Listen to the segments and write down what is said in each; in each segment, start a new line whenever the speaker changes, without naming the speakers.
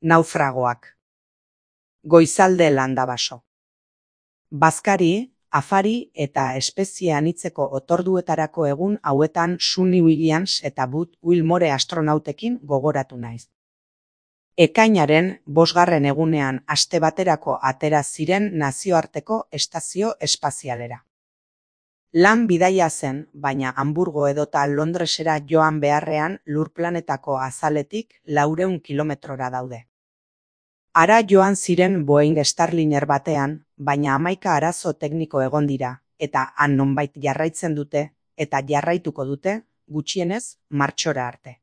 Naufragoak. Goizalde landabaso. Bazkari, afari eta espezie anitzeko otorduetarako egun hauetan Sunny Williams eta Buzz Wilmore astronautekin gogoratu naiz. Ekainaren 5. egunean aste baterako atera ziren nazioarteko estazio espazialera. Lan bidaia zen, baina Hamburgo edota Londresera joan beharrean lurplanetako azaletik 400 kilometrora daude. Hara joan ziren Boeing Starliner batean, baina 11 arazo tekniko egon dira, eta han nonbait jarraitzen dute, eta jarraituko dute, gutxienez, martxora arte.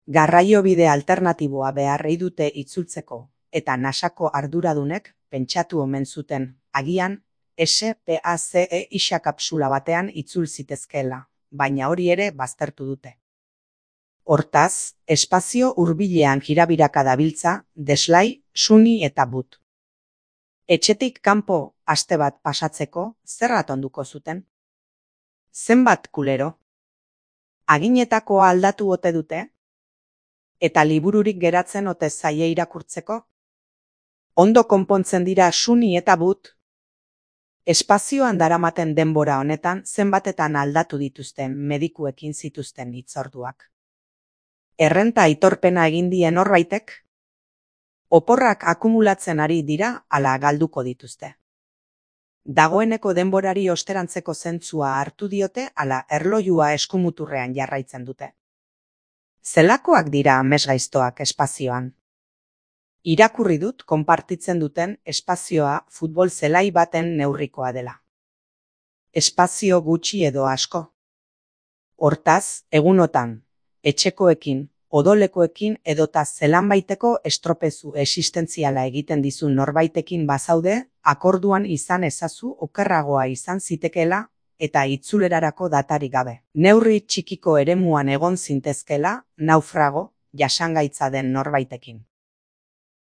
Garraiobide alternatiboa beharrei dute itzultzeko, eta NASAko arduradunek pentsatu omen zuten, agian, SPACE isa kapsula batean itzul zitezkeela, baina hori ere baztertu dute. Hortaz, espazio hurbilean jirabiraka dabiltza, Deslay, Sunny eta Buzz. Etxetik kanpo aste bat pasatzeko zer atonduko zuten? Zenbat kulero? Aginetakoa aldatu ote dute? Eta libururik geratzen ote zaie irakurtzeko? Ondo konpontzen dira Sunny eta Buzz? Espazioan daramaten denbora honetan zenbatetan aldatu dituzten medikuekin zituzten hitzorduak. Errenta aitorpena egin dien norbaitek? Oporrak akumulatzen ari dira ala galduko dituzte. Dagoeneko denborari osterantzeko zentzua hartu diote ala erlojua eskumuturrean jarraitzen dute. Zelakoak dira amesgaiztoak espazioan? Irakurri dut konpartitzen duten espazioa futbol zelai baten neurrikoa dela. Espazio gutxi edo asko. Hortaz, egunotan, etxekoekin, odolekoekin edota zelanbaiteko estropezu existentziala egiten dizun norbaitekin bazaude, akorduan izan ezazu okerragoa izan zitekeela eta itzulerarako datarik gabe. Neurri txikiko eremuan egon zintezkela, naufrago, jasangaitza den norbaitekin.